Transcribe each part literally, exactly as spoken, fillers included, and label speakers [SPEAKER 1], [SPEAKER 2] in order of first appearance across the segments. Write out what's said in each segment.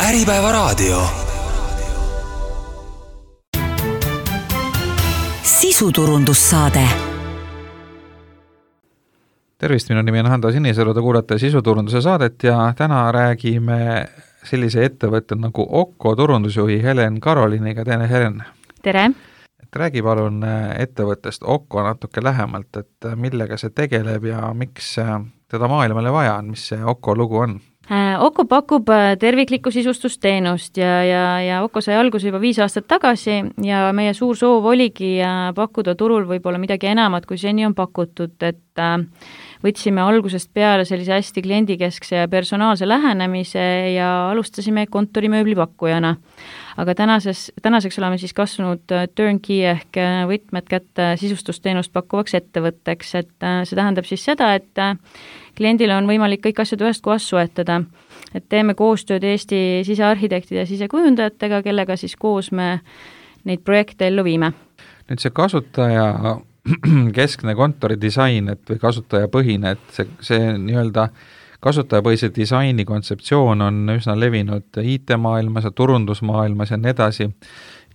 [SPEAKER 1] Äripäevaraadio. Sisuturundussaade.
[SPEAKER 2] Tervist, minu nimi on Hando Sinisalu, te kuulate sisuturunduse saadet ja täna räägime sellise ettevõtte nagu Okko turundusjuhi Helen Karoliniga. Tere, Helen!
[SPEAKER 3] Tere!
[SPEAKER 2] Et räägi palun ettevõttest Okko natuke lähemalt, et millega see tegeleb ja miks teda maailmale vaja on, mis see Okko lugu on?
[SPEAKER 3] Okko pakub terviklikku sisustusteenust ja, ja, ja Okko sai alguse juba viis aastat tagasi ja meie suur soov oligi pakkuda turul võib-olla midagi enamat, kui seni on pakutud, et võtsime algusest peale sellise hästi kliendikeskse ja personaalse lähenemise ja alustasime kontorimööbli pakkujana. Aga tänases, tänaseks oleme siis kasvanud turnkey ehk võtmed kätte sisustusteenust pakkuvaks ettevõtteks, et see tähendab siis seda, et kliendil on võimalik kõik asjad ühest kohast soetada. Et teeme koostööd Eesti sisearhitektide ja sisekujundajatega, kellega siis koos me neid projekte ellu viime.
[SPEAKER 2] Nüüd see kasutaja keskne kontoridisain, et või kasutajapõhine, et see, see nii-öelda kasutajapõhise disaini kontseptsioon on üsna levinud I T-maailmas ja turundusmaailmas ja nii edasi.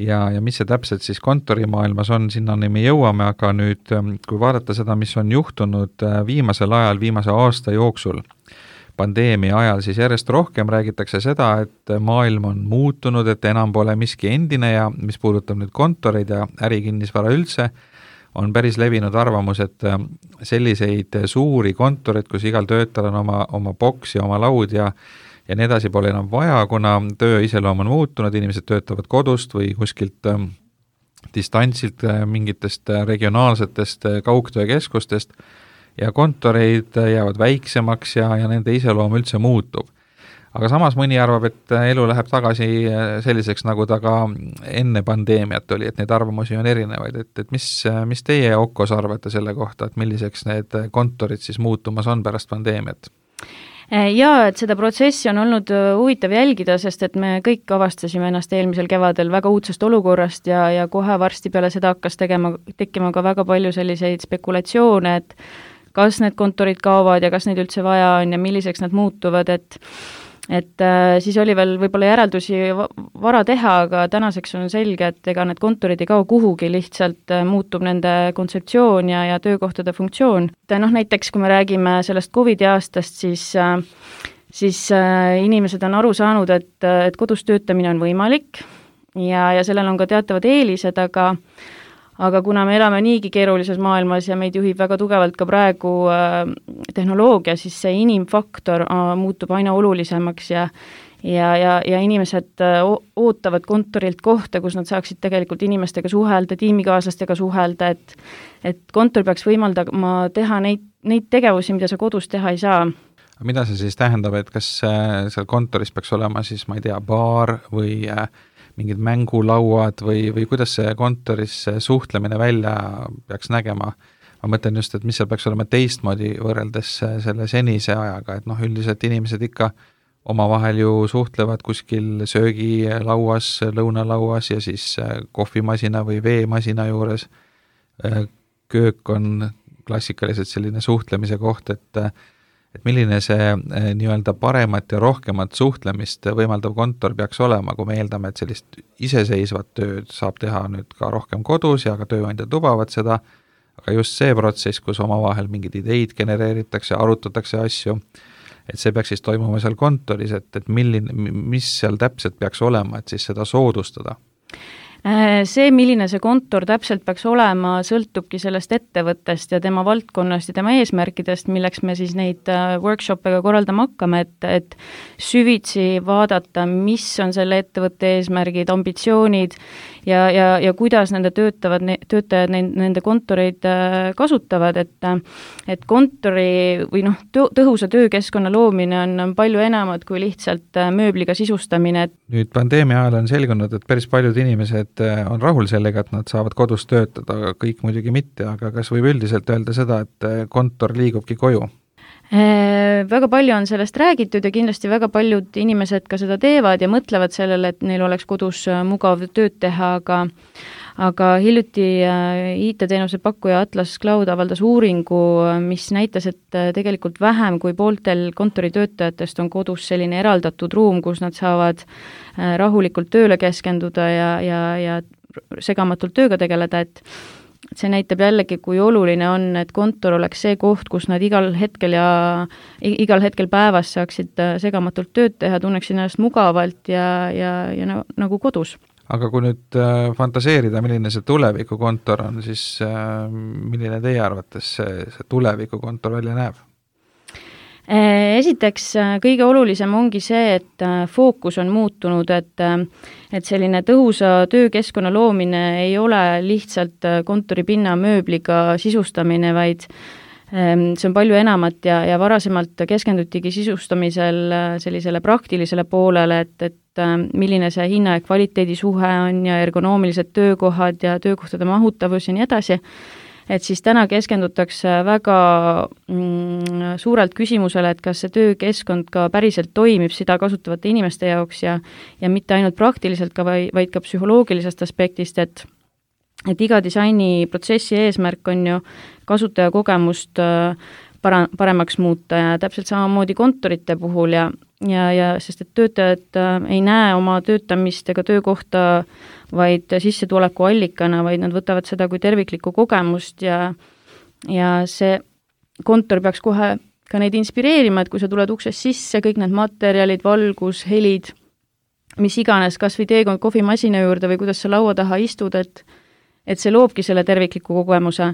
[SPEAKER 2] Ja, ja mis see täpselt siis kontorimaailmas on, sinnani me jõuame, aga nüüd, kui vaadata seda, mis on juhtunud viimasel ajal, viimase aasta jooksul, pandeemia ajal, siis järjest rohkem räägitakse seda, et maailm on muutunud, et enam pole miski endine ja mis puudutab nüüd kontoreid ja ärikinnisvara üldse, on päris levinud arvamus, et selliseid suuri kontoreid, kus igal töötajal on oma, oma boks ja oma laud ja ja nii edasi pole enam vaja, kuna töö iseloom on muutunud, inimesed töötavad kodust või kuskilt äh, distantsilt äh, mingitest regionaalsetest äh, kaugtöökeskustest ja kontoreid jäävad väiksemaks ja, ja nende iseloom üldse muutub. Aga samas mõni arvab, et elu läheb tagasi selliseks, nagu ta ka enne pandeemiat oli, et neid arvamusi on erinevaid, et, et mis, mis teie Okkos arvate selle kohta, et milliseks need kontorid siis muutumas on pärast pandeemiat?
[SPEAKER 3] Jaa, et seda protsessi on olnud huvitav jälgida, sest et me kõik avastasime ennast eelmisel kevadel väga uudsest olukorrast ja, ja kohe varsti peale seda hakkas tegema, tekkima ka väga palju selliseid spekulatsioone, et kas need kontorid kaovad ja kas neid üldse vaja on ja milliseks nad muutuvad, et et äh, siis oli veel võib-olla järeldusi vara teha, aga tänaseks on selge, et ega need kontorid ei kao kuhugi, lihtsalt äh, muutub nende kontseptsioon ja, ja töökohtade funktsioon. Noh, näiteks kui me räägime sellest Covidi aastast, siis, äh, siis äh, inimesed on aru saanud, et, et kodus töötamine on võimalik ja, ja sellel on ka teatavad eelised, aga Aga kuna me elame niigi keerulises maailmas ja meid juhib väga tugevalt ka praegu äh, tehnoloogia, siis see inimfaktor äh, muutub aina olulisemaks ja, ja, ja, ja inimesed äh, ootavad kontorilt kohta, kus nad saaksid tegelikult inimestega suhelda, tiimikaaslastega suhelda, et, et kontor peaks võimaldama teha neid, neid tegevusi, mida sa kodus teha ei saa.
[SPEAKER 2] Mida see siis tähendab, et kas äh, seal kontoris peaks olema siis, ma ei tea, baar või äh, mingid mängulauad või, või kuidas see kontoris suhtlemine välja peaks nägema? Ma mõtlen just, et mis seal peaks olema teistmoodi võrreldes selle senise ajaga, et noh, üldiselt inimesed ikka omavahel ju suhtlevad kuskil söögilauas, lõunalauas ja siis kohvimasina või veemasina juures. Köök on klassikaliselt selline suhtlemise koht, et et milline see nii-öelda paremat ja rohkemat suhtlemist võimaldav kontor peaks olema, kui me eeldame, et sellist iseseisvat tööd saab teha nüüd ka rohkem kodus ja ka tööandjad lubavad seda, aga just see protsess, kus omavahel mingid ideid genereeritakse, arutatakse asju, et see peaks siis toimuma seal kontoris, et, et milline, mis seal täpselt peaks olema, et siis seda soodustada?
[SPEAKER 3] See, milline see kontor täpselt peaks olema, sõltubki sellest ettevõttest ja tema valdkonnast ja tema eesmärkidest, milleks me siis neid workshop'ega korraldama hakkame, et, et süvitsi vaadata, mis on selle ettevõtte eesmärgid, ambitsioonid ja, ja, ja kuidas nende töötavad, töötajad nende kontoreid kasutavad, et, et kontori või noh, tõhusa töökeskkonna loomine on palju enamat kui lihtsalt mööbliga sisustamine.
[SPEAKER 2] Nüüd pandeemia ajal on selgunud, et päris paljud inimesed on rahul sellega, et nad saavad kodus töötada, kõik muidugi mitte, aga kas võib üldiselt öelda seda, et kontor liigubki koju?
[SPEAKER 3] Väga palju on sellest räägitud ja kindlasti väga paljud inimesed ka seda teevad ja mõtlevad sellele, et neil oleks kodus mugav tööd teha, aga aga hiljuti I T-teenuse pakkuja Atlas Cloud avaldas uuringu, mis näitas, et tegelikult vähem kui pooltel kontoritöötajatest on kodus selline eraldatud ruum, kus nad saavad rahulikult tööle keskenduda ja, ja, ja segamatult tööga tegeleda, et see näitab jällegi, kui oluline on, et kontor oleks see koht, kus nad igal hetkel ja igal hetkel päevas saaksid segamatult tööd teha, tunneksid ennast mugavalt ja, ja, ja nagu kodus.
[SPEAKER 2] Aga kui nüüd fantaseerida, milline see tulevikukontor on, siis milline teie arvates see, see tulevikukontor välja näeb?
[SPEAKER 3] Esiteks, kõige olulisem ongi see, et fookus on muutunud, et, et selline tõhusa töökeskkonna loomine ei ole lihtsalt kontoripinna mööbliga sisustamine, vaid see on palju enamat ja, ja varasemalt keskendutigi sisustamisel sellisele praktilisele poolele, et, et milline see hinna ja kvaliteedi suhe on ja ergonoomilised töökohad ja töökohtade mahutavus ja nii edasi, et siis täna keskendutakse väga mm, suurelt küsimusele, et kas see töökeskkond ka päriselt toimib seda kasutavate inimeste jaoks ja, ja mitte ainult praktiliselt ka, vaid ka psühholoogilisest aspektist, et et iga disainiprotsessi eesmärk on ju kasutajakogemust para-, paremaks muuta ja täpselt samamoodi kontorite puhul ja, ja, ja sest et töötajad ei näe oma töötamist ega töökohta vaid sissetuleku allikana, vaid nad võtavad seda kui terviklikku kogemust ja, ja see kontor peaks kohe ka neid inspireerima, et kui sa tuled uksest sisse, kõik need materjalid, valgus, helid, mis iganes, kas või teekond kohvimasina juurde või kuidas sa laua taha istud, et et see loobki selle tervikliku kogemuse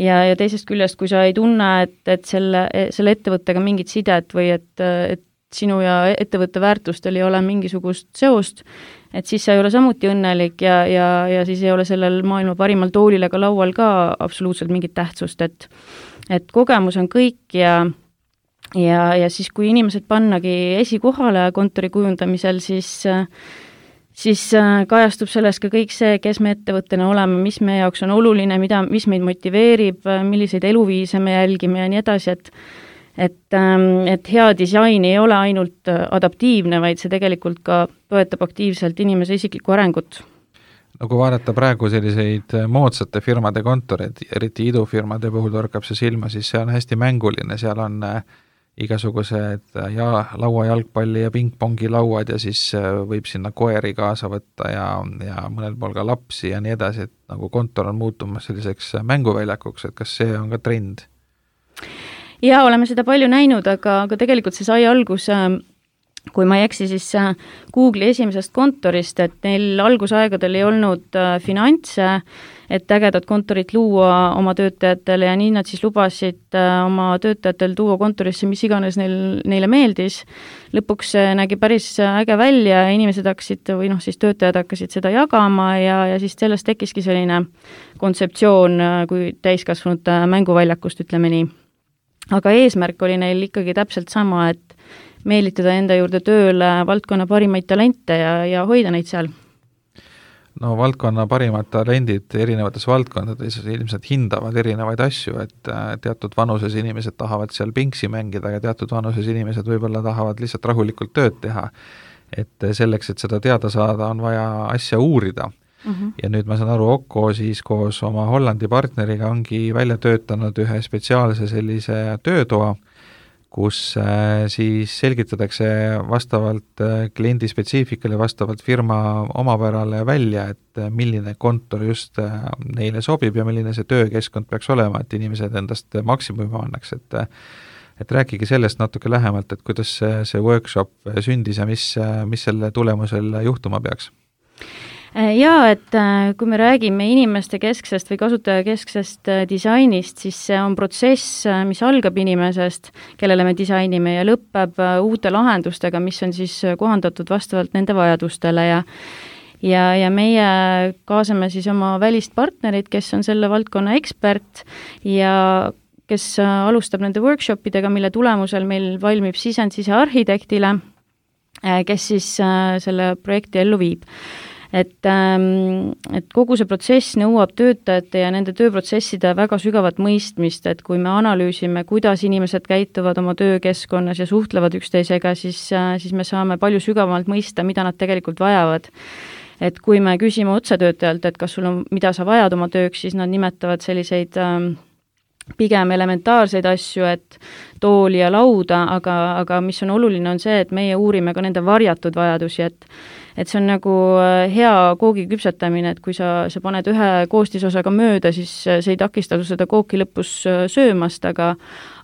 [SPEAKER 3] ja, ja teisest küljest, kui sa ei tunne, et, et selle, selle ettevõttega mingit sidet või et, et sinu ja ettevõtte väärtustel ei ole mingisugust seost, et siis sa ei ole samuti õnnelik ja, ja, ja siis ei ole sellel maailma parimal toolil ega laual ka absoluutselt mingit tähtsust, et, et kogemus on kõik ja ja, ja siis, kui inimesed pannagi esikohale kontori kujundamisel, siis siis kajastub selles ka kõik see, kes me ettevõttena oleme, mis meie jaoks on oluline, mida, mis meid motiveerib, milliseid eluviise me jälgime ja nii edasi, et et, et hea disain ei ole ainult adaptiivne, vaid see tegelikult ka toetab aktiivselt inimese isiklikku arengut.
[SPEAKER 2] No kui vaadata praegu selliseid moodsate firmade kontoreid, eriti idufirmade puhul torkab see silma, siis see on hästi mänguline, seal on igasugused ja laua jalgpalli ja pingpongi lauad ja siis võib sinna koeri kaasa võtta ja, ja mõnel pool ka lapsi ja nii edasi, et nagu kontor on muutumas selliseks mänguväljakuks, et kas see on ka trend?
[SPEAKER 3] Jaa, oleme seda palju näinud, aga, aga tegelikult see sai algus, kui ma ei eksi, siis Google'i esimesest kontorist, et neil algusaegadel ei olnud finantse, et ägedat kontorit luua oma töötajatele ja nii nad siis lubasid oma töötajatel tuua kontorisse, mis iganes neil, neile meeldis. Lõpuks nägi päris äge välja ja inimesed hakkasid või noh, siis töötajad hakkasid seda jagama ja, ja siis sellest tekkiski selline kontseptsioon kui täiskasvanute mänguväljakust, ütleme nii. Aga eesmärk oli neil ikkagi täpselt sama, et meelitada enda juurde tööle valdkonna parimaid talente ja, ja hoida neid seal.
[SPEAKER 2] No valdkonna parimad talendid erinevates valdkondades ilmselt hindavad erinevaid asju, et teatud vanuses inimesed tahavad seal pingsi mängida ja teatud vanuses inimesed võib-olla tahavad lihtsalt rahulikult tööd teha. Et selleks, et seda teada saada, on vaja asja uurida. Mm-hmm. Ja nüüd ma saan aru, Okko siis koos oma Hollandi partneriga ongi välja töötanud ühe spetsiaalse sellise töötoa, kus siis selgitatakse vastavalt kliendi spetsiifikale, vastavalt firma omapärale välja, et milline kontor just neile sobib ja milline see töökeskkond peaks olema, et inimesed endast maksimumi annaks, et et rääkige sellest natuke lähemalt, et kuidas see, see workshop sündis ja mis, mis selle tulemusel juhtuma peaks?
[SPEAKER 3] Jaa, et kui me räägime inimeste kesksest või kasutaja kesksest disainist, siis see on protsess, mis algab inimesest, kellele me disainime ja lõpeb uute lahendustega, mis on siis kohandatud vastavalt nende vajadustele ja ja, ja meie kaasame siis oma välist partnerit, kes on selle valdkonna ekspert ja kes alustab nende workshopidega, mille tulemusel meil valmib sisend sisearhitektile, kes siis selle projekti ellu viib. et, et kogu see protsess nõuab töötajate ja nende tööprotsesside väga sügavat mõistmist, et kui me analüüsime, kuidas inimesed käituvad oma töökeskkonnas ja suhtlevad üksteisega, siis, siis me saame palju sügavamalt mõista, mida nad tegelikult vajavad. Et kui me küsime otsetöötajalt, et kas sul on, mida sa vajad oma tööks, siis nad nimetavad selliseid ähm, pigem elementaarseid asju, et tooli ja lauda, aga, aga mis on oluline, on see, et meie uurime ka nende varjatud vajadusi, et et see on nagu hea koogi küpsetamine, et kui sa, sa paned ühe koostisosaga mööda, siis see ei takista seda kooki lõpus söömast, aga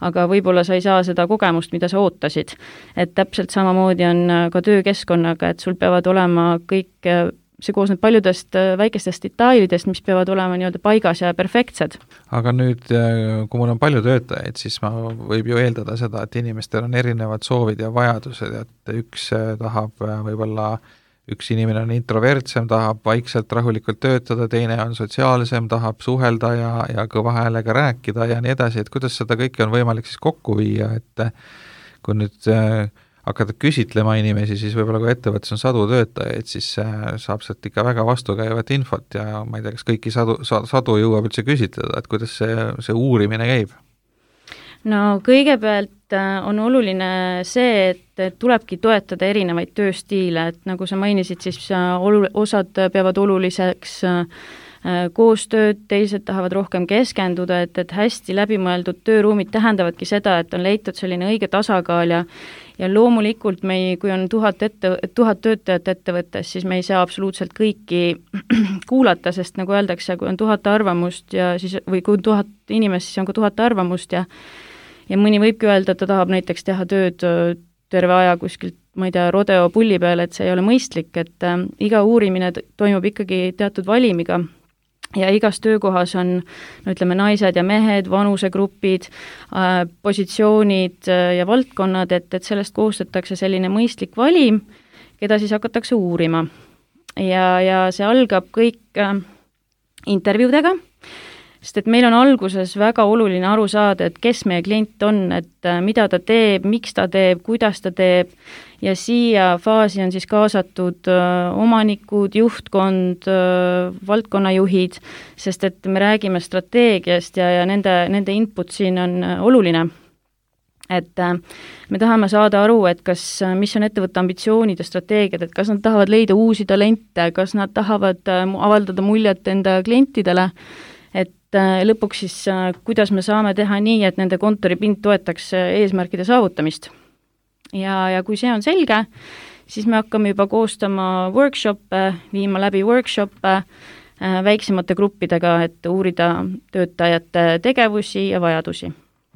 [SPEAKER 3] aga võib-olla sa ei saa seda kogemust, mida sa ootasid. Et täpselt samamoodi on ka töökeskkonnaga, et sul peavad olema kõik, see koosneb paljudest väikestest detailidest, mis peavad olema nii-öelda paigas ja perfektsed.
[SPEAKER 2] Aga nüüd, kui mul on palju töötajaid, siis ma võib ju eeldada seda, et inimestel on erinevad soovid ja vajadused, et üks tahab võib-olla üks inimene on introvertsem, tahab vaikselt rahulikult töötada, teine on sotsiaalsem, tahab suhelda ja, ja kõva häälega rääkida ja nii edasi, et kuidas seda kõike on võimalik siis kokku viia, et kui nüüd äh, hakata küsitlema inimesi, siis võib-olla kui ettevõttes on sadu töötajaid, siis äh, saab sealt ikka väga vastukäivat infot ja ma ei tea, kas kõiki sadu, sadu jõuab üldse küsitleda, et kuidas see, see uurimine käib?
[SPEAKER 3] No kõigepealt on oluline see, et tulebki toetada erinevaid tööstiile, et nagu sa mainisid, siis olu-, osad peavad oluliseks koostööd, teised tahavad rohkem keskenduda, et, et hästi läbimõeldud tööruumid tähendavadki seda, et on leitud selline õige tasakaal ja ja loomulikult me ei, kui on tuhat, ette, tuhat töötajat ettevõttes, siis me ei saa absoluutselt kõiki kuulata, sest nagu öeldakse, kui on tuhat arvamust ja siis, või kui on tuhat inimest, siis on ka tuhat arvamust ja ja mõni võibki öelda, et ta tahab näiteks teha tööd terve aja kuskilt, ma ei tea, rodeo pulli peal, et see ei ole mõistlik, et äh, iga uurimine toimub ikkagi teatud valimiga ja igas töökohas on, no ütleme, naised ja mehed, vanusegrupid, äh, positsioonid äh, ja valdkonnad, et, et sellest koostatakse selline mõistlik valim, keda siis hakatakse uurima. Ja, ja see algab kõik äh, intervjuudega, sest et meil on alguses väga oluline aru saada, et kes meie klient on, et mida ta teeb, miks ta teeb, kuidas ta teeb ja siia faasi on siis kaasatud omanikud, juhtkond, valdkonnajuhid, sest et me räägime strateegiast ja, ja nende, nende input siin on oluline. Et me tahame saada aru, et kas, mis on ettevõtte ambitsioonid ja strateegiad, et kas nad tahavad leida uusi talente, kas nad tahavad avaldada muljet enda klientidele, et lõpuks siis, kuidas me saame teha nii, et nende kontoripind toetaks eesmärkide saavutamist. Ja, ja kui see on selge, siis me hakkame juba koostama workshop'e, viima läbi workshop'e väiksemate gruppidega, et uurida töötajate tegevusi ja vajadusi.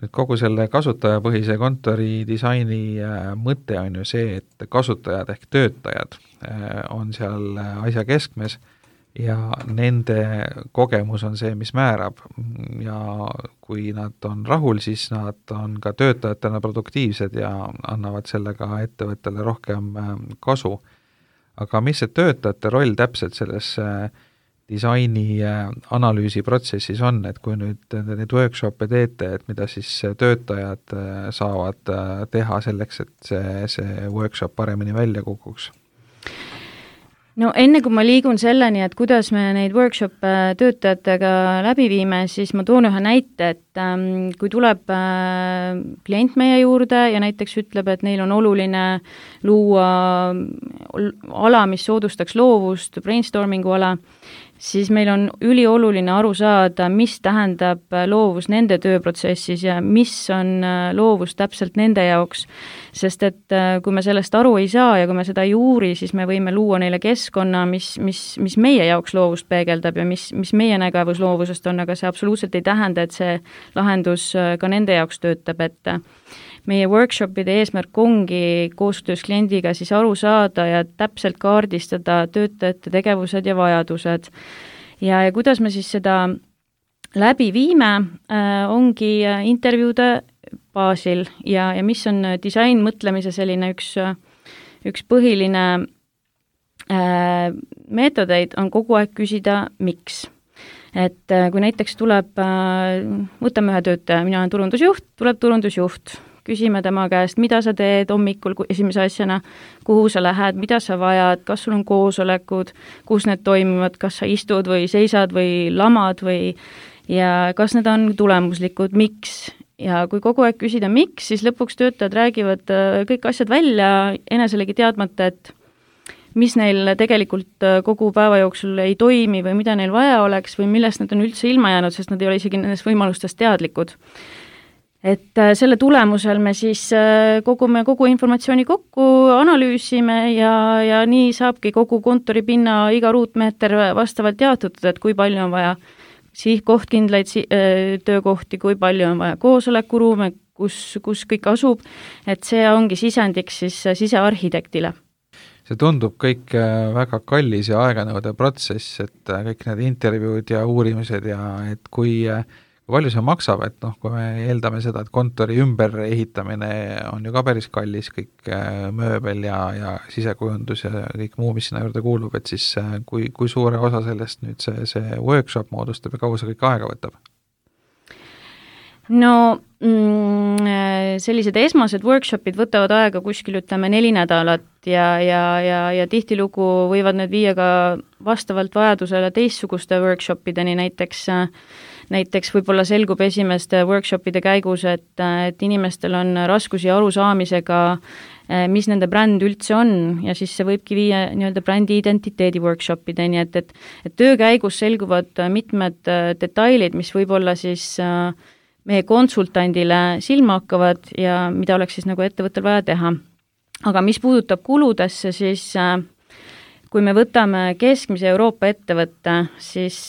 [SPEAKER 2] Et kogu selle kasutajapõhise kontori disaini mõte on ju see, et kasutajad ehk töötajad on seal asja keskmes ja nende kogemus on see, mis määrab ja kui nad on rahul, siis nad on ka töötajatena produktiivsed ja annavad sellega ettevõttele rohkem kasu. Aga mis see töötajate roll täpselt selles disaini analüüsi protsessis on, et kui nüüd neid workshop'e teete, et mida siis töötajad saavad teha selleks, et see, see workshop paremini välja kukuks?
[SPEAKER 3] No enne kui ma liigun selleni, et kuidas me neid workshop'e töötajatega läbi viime, siis ma toon ühe näite, et ähm, kui tuleb äh, klient meie juurde ja näiteks ütleb, et neil on oluline luua ala, mis soodustaks loovust, brainstormingu ala, siis meil on ülioluline aru saada, mis tähendab loovus nende tööprotsessis ja mis on loovus täpselt nende jaoks. Sest et kui me sellest aru ei saa ja kui me seda ei uuri, siis me võime luua neile keskkonna, mis, mis, mis meie jaoks loovust peegeldab ja mis, mis meie nägevus loovusest on, aga see absoluutselt ei tähenda, et see lahendus ka nende jaoks töötab, et meie workshopide eesmärk ongi koostöös kliendiga siis aru saada ja täpselt kaardistada töötajate tegevused ja vajadused. Ja, ja kuidas me siis seda läbi viime, äh, ongi intervjuude baasil ja, ja mis on disain mõtlemise selline üks, üks põhiline äh, meetodeid on kogu aeg küsida, miks. Et äh, kui näiteks tuleb, äh, võtame ühe töötaja, mina olen turundusjuht, tuleb turundusjuht, küsime tema käest, mida sa teed hommikul esimese asjana, kuhu sa lähed, mida sa vajad, kas sul on koosolekud, kus need toimivad, kas sa istud või seisad või lamad või ja kas need on tulemuslikud, miks. Ja kui kogu aeg küsida miks, siis lõpuks töötajad räägivad kõik asjad välja, eneselegi teadmata, et mis neil tegelikult kogu päeva jooksul ei toimi või mida neil vaja oleks või millest nad on üldse ilma jäänud, sest nad ei ole isegi nendest võimalustest teadlikud. Et selle tulemusel me siis kogume kogu informatsiooni kokku, analüüsime ja, ja nii saabki kogu kontoripinna iga ruutmeeter vastavalt jaotatud, et kui palju on vaja sihtkohtkindlaid töökohti, kui palju on vaja koosolekuruume, kus, kus kõik asub, et see ongi sisendiks siis sisearhitektile.
[SPEAKER 2] See tundub kõik väga kallis ja aeganõudev protsess, et kõik need intervjuud ja uurimised ja et kui, kui palju see maksab, et noh, kui me eeldame seda, et kontori ümber ehitamine on ju ka päris kallis, kõik mööbel ja, ja sisekujundus ja kõik muu, mis sinna juurde kuulub, et siis kui, kui suure osa sellest nüüd see, see workshop moodustab ja kaua see kõik aega võtab?
[SPEAKER 3] No mm, sellised esmased workshopid võtavad aega kuskil ütleme neli nädalat ja, ja, ja, ja tihtilugu võivad need viia ka vastavalt vajadusele teistsuguste workshopideni, näiteks näiteks võib-olla selgub esimeste workshopide käigus, et, et inimestel on raskusi arusaamisega, mis nende bränd üldse on ja siis see võibki viia nii-öelda brändi identiteedi workshopideni, et, et, et töö käigus selguvad mitmed detailid, mis võib-olla siis meie konsultandile silma hakkavad ja mida oleks siis nagu ettevõttel vaja teha. Aga mis puudutab kuludesse, siis kui me võtame keskmise Euroopa ettevõtte, siis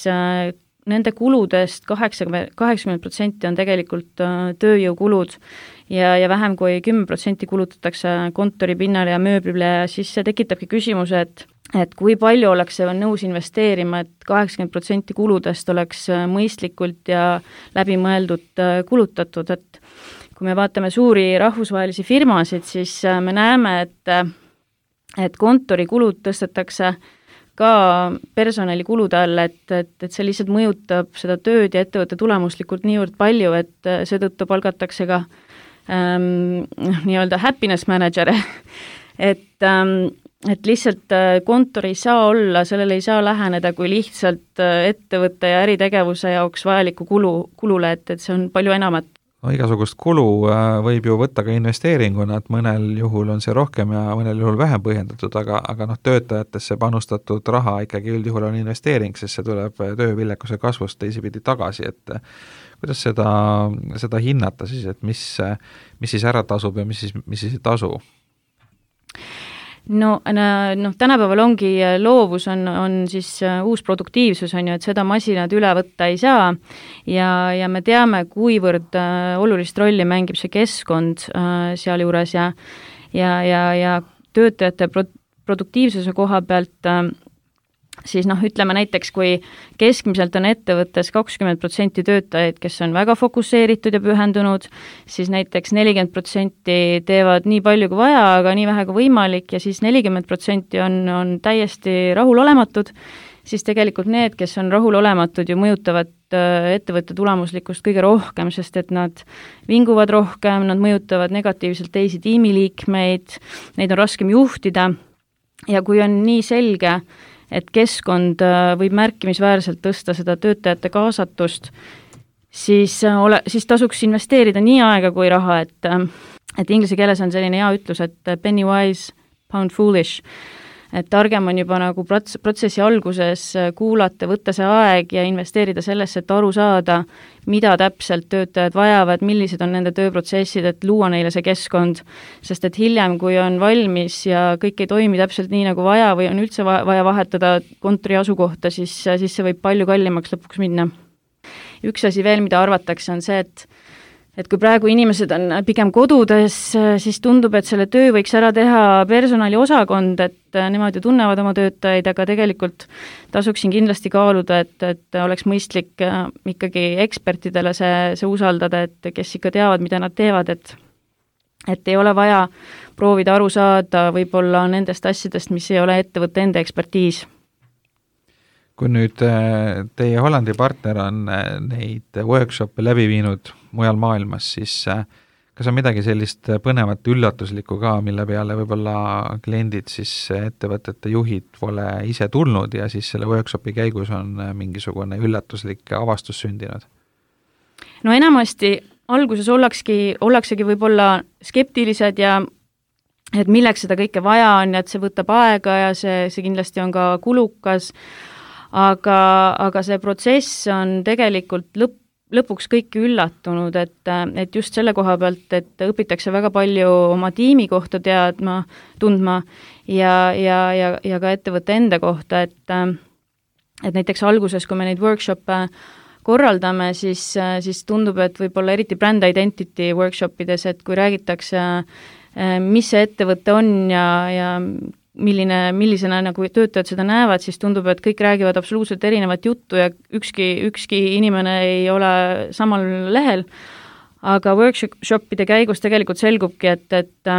[SPEAKER 3] nende kuludest kaheksakümmend protsenti on tegelikult tööjõukulud ja, ja vähem kui kümme protsenti kulutatakse kontoripinnale ja mööblile ja siis see tekitabki küsimuse, et et kui palju oleks see nõus investeerima, et kaheksakümmend protsenti kuludest oleks mõistlikult ja läbimõeldud kulutatud, et kui me vaatame suuri rahvusvahelisi firmasid, siis me näeme, et, et kontorikulud tõstetakse ka personalikulude all, et, et, et see lihtsalt mõjutab seda tööd ja ettevõtte tulemuslikult niivõrd palju, et seetõttu palgatakse ka ähm, nii-öelda happiness manager, et ähm, et lihtsalt kontor ei saa olla, sellele ei saa läheneda kui lihtsalt ettevõtte ja äritegevuse jaoks vajaliku kulu, kulule, et, et see on palju enamat.
[SPEAKER 2] No, igasugust kulu võib ju võtta ka investeeringuna, et mõnel juhul on see rohkem ja mõnel juhul vähem põhjendatud, aga, aga noh, töötajatesse panustatud raha ikkagi üldjuhul on investeering, sest see tuleb tööviljakuse kasvust teisipidi tagasi, et kuidas seda, seda hinnata siis, et mis, mis siis ära tasub ja mis siis, mis siis ei tasu?
[SPEAKER 3] No, noh, tänapäeval ongi loovus on, on siis uus produktiivsus, on ju, et seda masinad üle võtta ei saa ja, ja me teame, kuivõrd olulist rolli mängib see keskkond sealjuures ja, ja, ja, ja töötajate pro- produktiivsuse koha pealt siis noh, ütleme näiteks, kui keskmiselt on ettevõttes kakskümmend protsenti töötajaid, kes on väga fokusseeritud ja pühendunud, siis näiteks nelikümmend protsenti teevad nii palju kui vaja, aga nii vähe kui võimalik ja siis nelikümmend protsenti on, on täiesti rahulolematud, siis tegelikult need, kes on rahulolematud, ju mõjutavad ettevõtte tulemuslikkust kõige rohkem, sest et nad vinguvad rohkem, nad mõjutavad negatiivselt teisi tiimiliikmeid, neid on raskem juhtida ja kui on nii selge, et keskkond võib märkimisväärselt tõsta seda töötajate kaasatust, siis, ole, siis tasuks investeerida nii aega kui raha, et, et inglise keeles on selline hea ütlus, et penny wise, pound foolish, et targem on juba nagu prots- protsessi alguses kuulata, võtta see aeg ja investeerida sellesse, et aru saada, mida täpselt töötajad vajavad, millised on nende tööprotsessid, et luua neile see keskkond, sest et hiljem, kui on valmis ja kõik ei toimi täpselt nii, nagu vaja või on üldse vaja vahetada kontori asukohta, siis, siis see võib palju kallimaks lõpuks minna. Üks asi veel, mida arvatakse, on see, et et kui praegu inimesed on pigem kodudes, siis tundub, et selle töö võiks ära teha personaliosakond, et nemad ju tunnevad oma töötajaid, aga tegelikult tasuksin kindlasti kaaluda, et, et oleks mõistlik ikkagi ekspertidele see, see usaldada, et kes ikka teavad, mida nad teevad, et et ei ole vaja proovida aru saada võib-olla nendest asjadest, mis ei ole ettevõtte enda ekspertiis.
[SPEAKER 2] Kui nüüd teie Hollandi partner on neid workshop'e läbi viinud mujal maailmas, siis kas on midagi sellist põnevat üllatuslikku ka, mille peale võib-olla kliendid siis ettevõtete juhid pole ise tulnud ja siis selle workshopi käigus on mingisugune üllatuslik avastus sündinud?
[SPEAKER 3] No enamasti alguses ollakski, ollaksegi võib-olla skeptilised ja et milleks seda kõike vaja on ja et see võtab aega ja see, see kindlasti on ka kulukas, aga, aga see protsess on tegelikult lõpp, lõpuks kõiki üllatunud, et, et just selle koha pealt, et õpitakse väga palju oma tiimi kohta teadma, tundma ja, ja, ja, ja ka ettevõtte enda kohta, et, et näiteks alguses, kui me neid workshop'e korraldame, siis, siis tundub, et võib-olla eriti brand identity workshopides, et kui räägitakse, mis see ettevõte on ja, ja milline, millisena nagu töötajad seda näevad, siis tundub, et kõik räägivad absoluutselt erinevat juttu ja ükski, ükski inimene ei ole samal lehel, aga workshopide käigus tegelikult selgubki, et, et,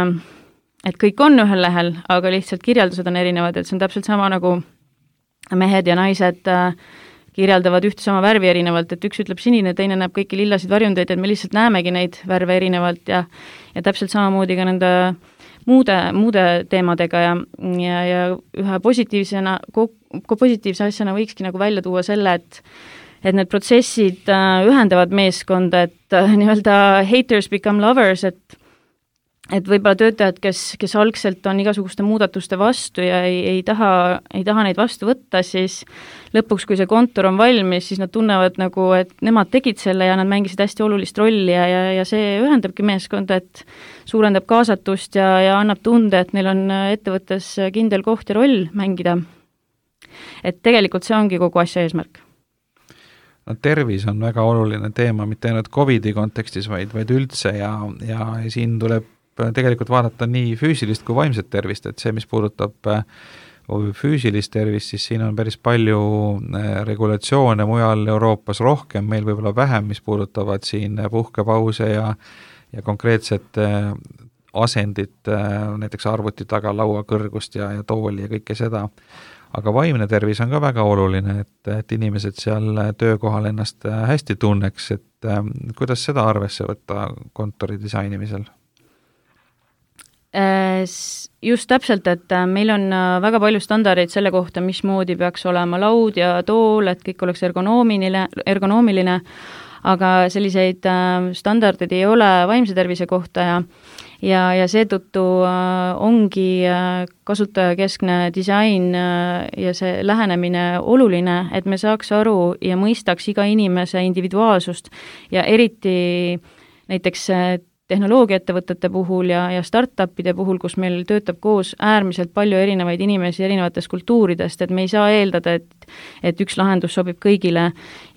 [SPEAKER 3] et kõik on ühel lehel, aga lihtsalt kirjeldused on erinevad, et see on täpselt sama nagu mehed ja naised kirjeldavad ühte sama värvi erinevalt, et üks ütleb sinine, teine näeb kõiki lillasid varjundeid, et me lihtsalt näemegi neid värve erinevalt ja, ja täpselt samamoodi ka nende muude, muude teemadega ja, ja, ja ühe positiivsena, positiivse asjana võikski nagu välja tuua selle, et et need protsessid ühendavad meeskonda, et nii-öelda haters become lovers, et et võib-olla töötajad, kes, kes algselt on igasuguste muudatuste vastu ja ei, ei, taha, ei taha neid vastu võtta, siis lõpuks, kui see kontor on valmis, siis nad tunnevad nagu, et nemad tegid selle ja nad mängisid hästi olulist rolli ja, ja, ja see ühendabki meeskonda, et suurendab kaasatust ja, ja annab tunde, et neil on ettevõttes kindel koht ja roll mängida. Et tegelikult see ongi kogu asja eesmärk.
[SPEAKER 2] No tervis on väga oluline teema, mitte ainult Covidi kontekstis, vaid, vaid üldse ja, ja siin tuleb tegelikult vaadata nii füüsilist kui vaimset tervist, et see, mis puudutab füüsilist tervist, siis siin on päris palju regulatsioone mujal Euroopas rohkem, meil võib-olla vähem, mis puudutavad siin puhkepause ja, ja konkreetset asendit, näiteks arvuti taga, laua kõrgust ja, ja tooli ja kõike seda. Aga vaimne tervis on ka väga oluline, et, et inimesed seal töökohal ennast hästi tunneks, et kuidas seda arvesse võtta kontori disainimisel?
[SPEAKER 3] Just täpselt, et meil on väga palju standardeid selle kohta, mismoodi peaks olema laud ja tool, et kõik oleks ergonoomiline, ergonoomiline, aga selliseid standardeid ei ole vaimse tervise kohta ja ja, ja seetõttu ongi kasutajakeskne disain ja see lähenemine oluline, et me saaks aru ja mõistaks iga inimese individuaalsust ja eriti näiteks tehnoloogiaettevõtete puhul ja, ja startupide puhul, kus meil töötab koos äärmiselt palju erinevaid inimesi erinevatest kultuuridest, et me ei saa eeldada, et, et üks lahendus sobib kõigile.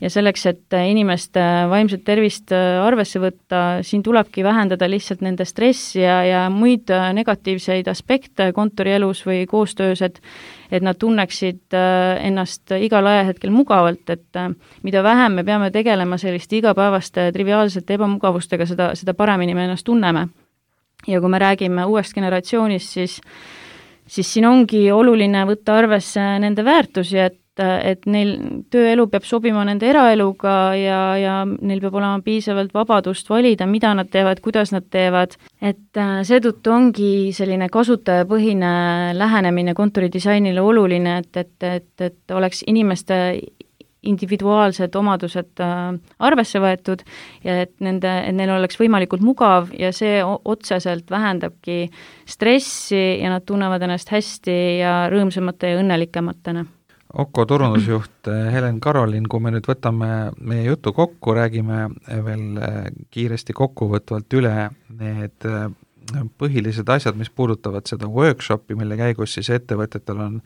[SPEAKER 3] Ja selleks, et inimeste vaimset tervist arvesse võtta, siin tulebki vähendada lihtsalt nende stressi ja, ja muid negatiivseid aspekte kontorielus või koostöös, et et nad tunneksid ennast igal ajahetkel mugavalt, et mida vähem me peame tegelema selliste igapäevaste triviaalsete ebamugavustega, seda, seda paremini me ennast tunneme. Ja kui me räägime uuest generatsioonist, siis, siis siin ongi oluline võtta arvesse nende väärtusi, et, et neil tööelu peab sobima nende eraeluga ja, ja neil peab olema piisavalt vabadust valida, mida nad teevad, kuidas nad teevad, et seetõttu ongi selline kasutajapõhine lähenemine kontoridisainile oluline, et, et, et, et oleks inimeste individuaalsed omadused arvesse võetud ja et, nende, et neil oleks võimalikult mugav ja see otseselt vähendabki stressi ja nad tunnevad ennast hästi ja rõõmsamate ja õnnelikematena.
[SPEAKER 2] Oko turundusjuht Helen Karolin, kui me nüüd võtame meie jutu kokku, räägime veel kiiresti kokkuvõtvalt üle need põhilised asjad, mis puudutavad seda workshopi, mille käigus siis ettevõtetel on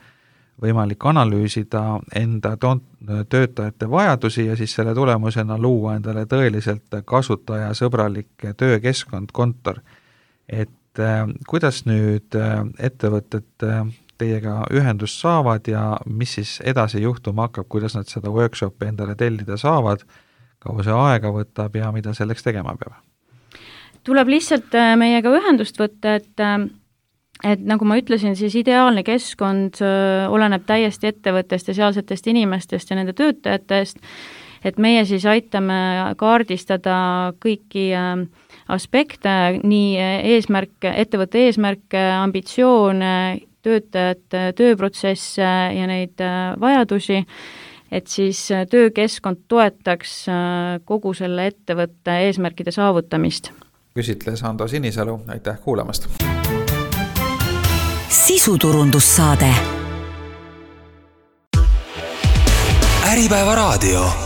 [SPEAKER 2] võimalik analüüsida enda töötajate vajadusi ja siis selle tulemusena luua endale tõeliselt kasutajasõbralik töökeskkond, kontor. Et kuidas nüüd ettevõtted teiega ühendust saavad ja mis siis edasi juhtuma hakkab, kuidas nad seda workshopi endale tellida saavad, kaua see aega võtab ja mida selleks tegema peab?
[SPEAKER 3] Tuleb lihtsalt meiega ühendust võtta, et et nagu ma ütlesin, siis ideaalne keskkond oleneb täiesti ettevõttest ja sealsetest inimestest ja nende töötajatest, et meie siis aitame kaardistada kõiki aspekte, nii eesmärke, ettevõtte eesmärke, ambitsioone, töötajate tööprotsesse ja neid vajadusi, et siis töökeskkond toetaks kogu selle ettevõtte eesmärkide saavutamist.
[SPEAKER 2] Küsitles Ando Sinisalu, aitäh kuulamast!
[SPEAKER 1] Sisuturundussaade. Äripäeva raadio.